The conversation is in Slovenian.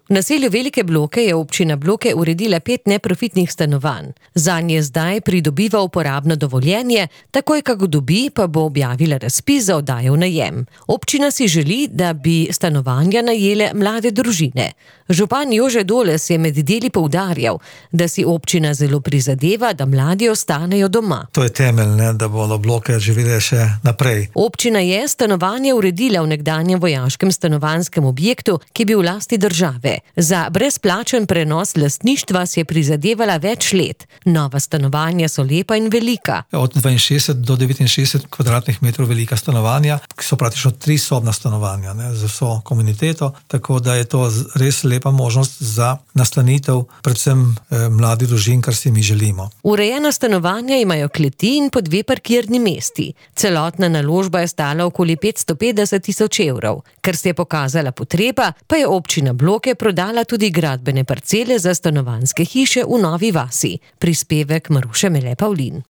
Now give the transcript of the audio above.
V naselju Velike Bloke je občina Bloke uredila 5 neprofitnih stanovanj. Zanje zdaj pridobiva uporabno dovoljenje, takoj kako dobi, pa bo objavila razpis za oddajo v najem. Občina si želi, da bi stanovanja najele mlade družine. Župan Jože Doles je med deli poudarjal, da si občina zelo prizadeva, da mladi ostanejo doma. To je temelj, da bodo Bloke živele še naprej. Občina je stanovanje uredila v nekdanjem vojaškem stanovanjskem objektu, ki je bil v lasti države. Za brezplačen prenos lastništva si je prizadevala več let. Nova stanovanja so lepa in velika. Od 62 do 69 kvadratnih metrov velika stanovanja, ki so praktično 3-sobna stanovanja, z vso komuniteto, tako da je to res lepa možnost za nastanitev predvsem mladih družin, kar si mi želimo. Urejena stanovanja imajo kleti in po 2 parkirni mesti. Celotna naložba je stala okoli 550 tisoč evrov. Ker se je pokazala potreba, pa je občina Bloke prodala tudi gradbene parcele za stanovanjske hiše v Novi vasi. Prispevek Maruše Mele Pavlin.